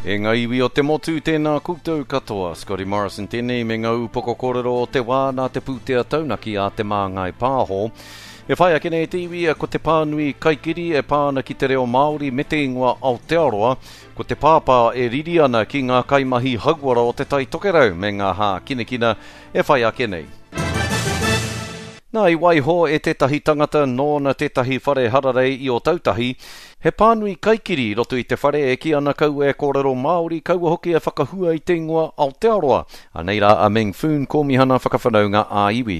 E ngā iwi o te motu, tēnā koutou katoa. Scotty Morrison tēnei me ngā upoko kōrero o te wā nā te pūtea taunaki a Te Māngai Pāho. E whai ake nei te iwi ko te pānui kaikiri e pā ana ki te reo Māori me te ingoa Aotearoa, ko te pāpā e riri ana ki ngā kaimahi hauora o Te Tai Tokerau me ngā hākinakina e whai ake nei. Nā, i waiho e tētahi tangata nōna tētahi whare hararei i Ōtautahi, he pānui kaikiri i roto i te whare e kī ana kaua e kōrero Māori, kaua hoki e whakahua i te ingoa Aotearoa. Anei rā a Meng Foon, Kōmihana Whakawhanaunga ā-Iwi.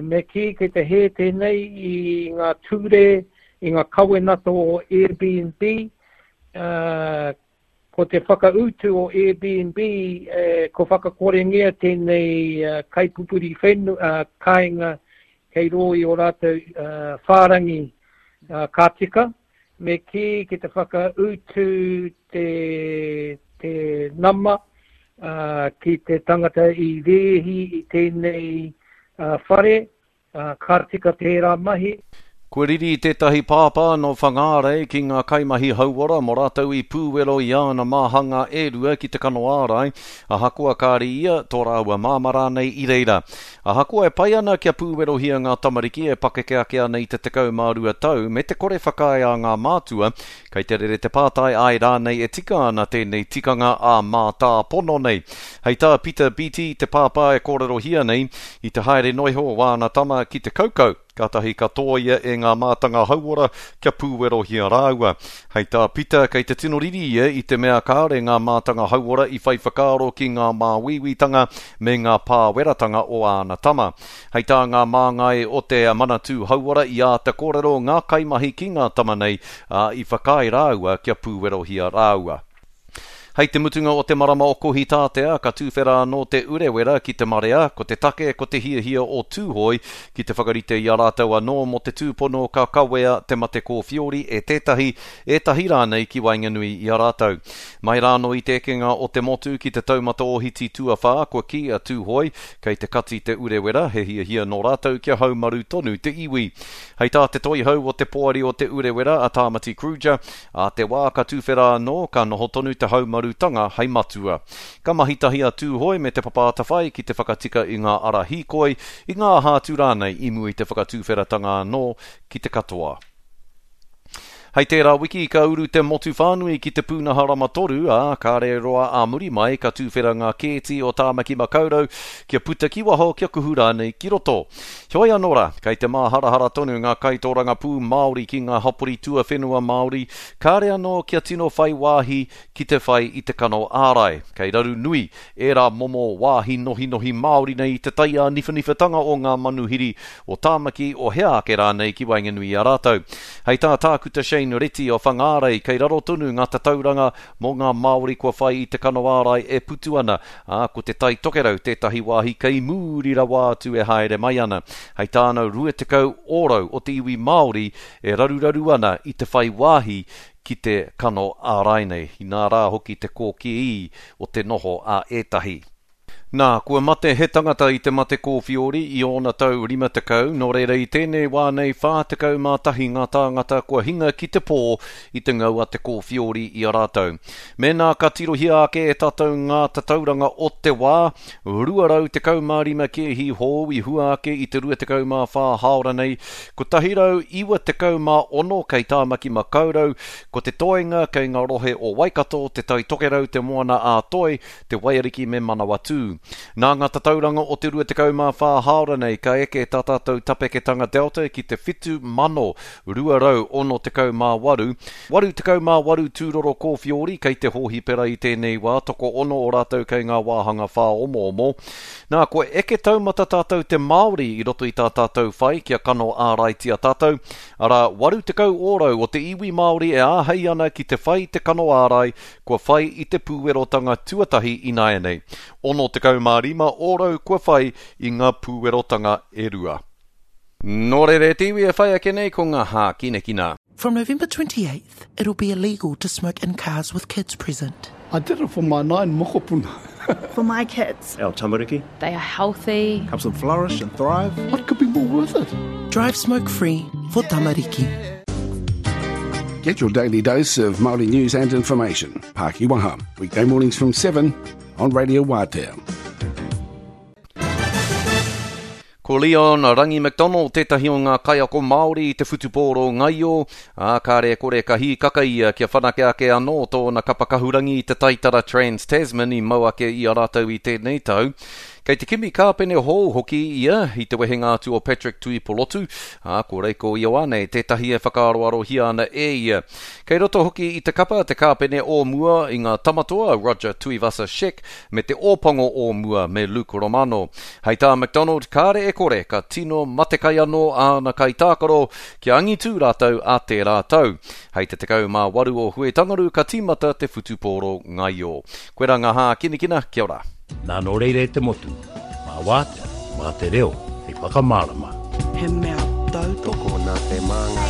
Me kī kei te hē tēnei i ngā ture, i ngā kawenata o Airbnb, Ko te whakautu o Airbnb, ko whakakorengia tēnei kaipupuri whenua, kāinga kei rō i ō rātou whārangi ka tika, me kī ki te whakautu te, te nama ki te tangata i rēhi i tēnei whare, Ā, ka tika tērā mahi. Kua riri tētahi pāpā nō Whangārei ki ngā kaimahi hauora mō rātou i pūwero i āna māhanga e rua ki te kano ārai, ahakoa kāre ia, tō rāua māmā rānei i reira. Ahakoa e pai ana kia pūwerohia ngā tamariki e pakeke ake ana i te 12 tau me te kore whakaae a ngā mātua, Kei te rere te pātai āe rānei e tika ana tēnei tikanga ā-mātāpono nei. Hei tā Peter Beattie, te pāpā e kōrerohia nei, i te haere noiho o āna tama ki te kaukau, kātahi ka tōia e ngā mātanga hauora kia pūwerohia rāua. Hei tā Peter, kei te tino riri ia i te mea kāore ngā mātanga hauora i whai whakaaro ki ngā māuiuitanga me ngā pāweratanga o āna tama. Hei tā ngā māngai o te Manatū Hauora i āta kōrero ngā kaimahi ki ngā tama nei, ā, i whakaae rāua kia pūwerohia rāua. Hei te mutunga o te marama o Kohitātea, ka tūwhera anō te Urewera ki te marea, ko te take ko te hiahia o Tūhoe ki te whakarite i a rātou anō mō te tūpono ka kawea te mate kōwhiori e tētahi, ētahi rānei ki waenganui i a rātou. Mai rānō i te ekenga o te motu ki te taumata ohiti tuawhā, kua kī a Tūhoe, Kei te kati te Urewera, he hiahia nō rātou kia haumaru tonu te iwi. Hei tā te toihau o te poari o Te Urewera, a Tāmati Kruger, ā te wā ka tuwhera anō, ka noho tonu te haumarutanga hei matua. Ka mahi tahi a Tūhoe me Te Papa Atawhai ki te whakatika i ngā ara hīkoi, i ngā aha atu rānei i mua i te whakatuwheratanga anō ki te katoa. Hei tērā wiki ka uru te motu whānui ki te pūnaha rama toru, ā, kāre roa ā muri mai ka tūwhera ngā kēti o Tāmaki Makaurau kia puta ki waho, kia kuhu rānei ki roto. Heoi anō rā, kei te māharahara tonu ngā kaitōrangapū Māori ki ngā hapori tuawhenua Māori, kāre anō kia tino whai wāhi ki te whai i te kano ārai. Kei raru nui ērā momo wāhi nohinohi Māori nei i te taiāniwhaniwhatanga o ngā manuhiri o Tāmaki, o hea ake rānei ki waenganui i a rātou. Hei tā Tākuta Shane Reti o Whangārei, kei raro tonu ngā tatauranga mō ngā Māori kua whai i te kano ārai e putu ana, ā, ko Te Tai Tokerau tētahi wāhi kei muri rawa atu e haere mai ana. Hei tāna, 20 ōrau o te iwi Māori e raruraru ana i te whai wāhi ki te kano ārai nei, inā rā hoki te kōkīī o te noho a ētahi. Nā, kua mate he tangata i te mate kōwhiori i ōna tau 50, nō reira i tēnei wā nei 41 ngā tāngata kua hinga ki te pō i te ngau a te kōwhiori i a rātou. Mēnā ka tirohia ake e tātou ngā tatauranga o te wā, 215 kēhi hou i hua ake i te 24 hāora nei, 196 kei Tāmaki Makaurau, ko te toenga kei ngā rohe o Waikato, Te Tai Tokerau, Te Moana-a-Toi, Te Waiariki me Manawatū. Nā ngā tatauranga o te 24 hāora nei ka eke tā tātou tapeketanga Delta ki te 7,268. 88 tūroro kōwhiori kei te hōhipera i tēnei wā, tokoono o rātou kei ngā wāhanga whāomoomo. Nā, kua eke taumata tātou te Māori i roto i tā tātou whai kia kano āraitia tātou, arā, 80 ōrau o te iwi Māori e āhei ana ki te whai te kano ārai, kua whai i te pūwerotanga tuatahi ināianei. 65 ōrau kua whai i ngā pūwerotanga e rua. Nō reira e te iwi e whai ake nei ko ngā hākinakina. From November 28th, it'll be illegal to smoke in cars with kids present. I did it for my nine mokopuna. For my kids. Our tamariki. They are healthy. Helps them flourish and thrive. What could be more worth it? Drive smoke free for tamariki. Get your daily dose of Māori news and information. Pākiwaha, weekday mornings from 7 on Radio Wātea. Ko Leon Rangi McDonald tētahi o ngā kaiako Māori i te whutupōro ngaio, ā, kāre e kore ka hīkaka ia kia whanake ake anō tōna kapa kahurangi i te taitara Trans-Tasman i mau ake i a rātou i tēnei tau. Kei te kimi kāpene hou hoki ia i te wehenga atu o Patrick Tuipolotu, ā, ko Reiko Ioane tētahi e whakaaroarohia ana e ia. Kei roto hoki i te kapa te kāpene o mua i ngā Tamatoa, Roger Tuivasa-Sheck, me te Ōpango o mua me Luke Romano. Hei tā McDonald, kāre e kore ka tino matekai anō āna kaitākaro kia angitū rātou ā tērā tau. Hei te 18 o Huitangaru ka tīmata te whutupōro ngaio. Koirā ngā hākinakina, kia ora. Nā nō reira e te motu, mā Wātea, mā te reo hei whakamārama. He mea tautoko. Tokona te māngai.